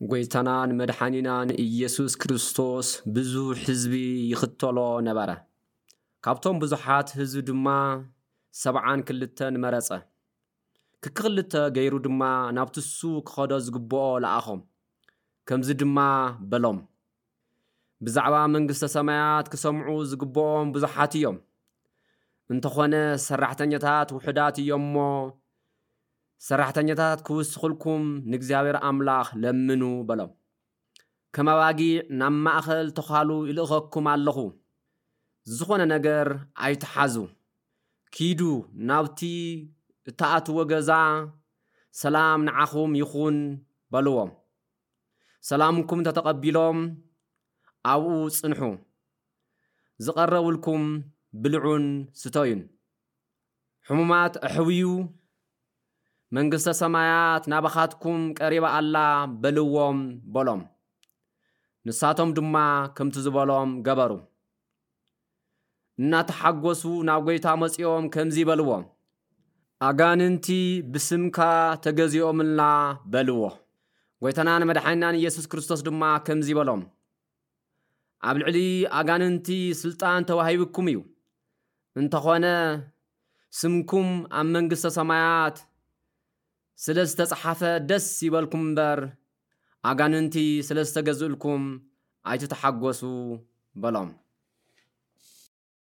ጎይታናን መድሓኒናን ኢየሱስ ክርስቶስ ብዙሕ ህዝቢ ይኽተሎ ነበረ። ካብቶም ብዙሓት ህዝቢ ድማ ሰብዓን ክልተን መረጸ። ክክልተ ገይሩ ድማ ናብቲ እሱ ክኸዶ ዝግብኦ ለኣኾም። ከምዚ ድማ በሎም፣ ብዛዕባ መንግስተ ሰማያት ክሰምዑ ዝግብኦም ብዙሓት እዮም። እንተኾነ ሰራሕተኛታት ውሑዳት እዮም እሞ፣ ሰራሕተኛታት ክውስኹልኩም ንእግዚኣብሔር ኣምላኽ ለምኑ በሎም። ከም ኣባጊዕ ናብ ማእኸል ተዃሉ ይልእኸኩም ኣለኹ። ዝኾነ ነገር ኣይትሓዙ። ኪዱ ናብቲ እትኣትዎ ገዛ፣ ሰላም ንዓኹም ይኹን በልዎም። ሰላምኩም እንተተቐቢሎም ኣብኡ ጽንሑ። ዝቐረብልኩም ብልዑን ስተዩን። ሕሙማት ኣሕውዩ፣ መንግስተ ሰማያት ናባኻትኩም ቀሪባ ኣላ በልዎም በሎም። ንሳቶም ድማ ከምቲ ዝበሎም ገበሩ። እናተሓጎሱ ናብ ጎይታ መጺኦም ከምዚ በልዎ፣ ኣጋንንቲ ብስምካ ተገዚኦምልና በልዎ። ጎይታናን መድሓኒናን ኢየሱስ ክርስቶስ ድማ ከምዚ በሎም፣ ኣብ ልዕሊ ኣጋንንቲ ስልጣን ተዋሂብኩም እዩ። እንተኾነ ስምኩም ኣብ መንግስተ ሰማያት ስለ ዝተጻሓፈ ደስ ይበልኩም እምበር፣ ኣጋንንቲ ስለ ዝተገዝእልኩም ኣይትተሓጎሱ በሎም።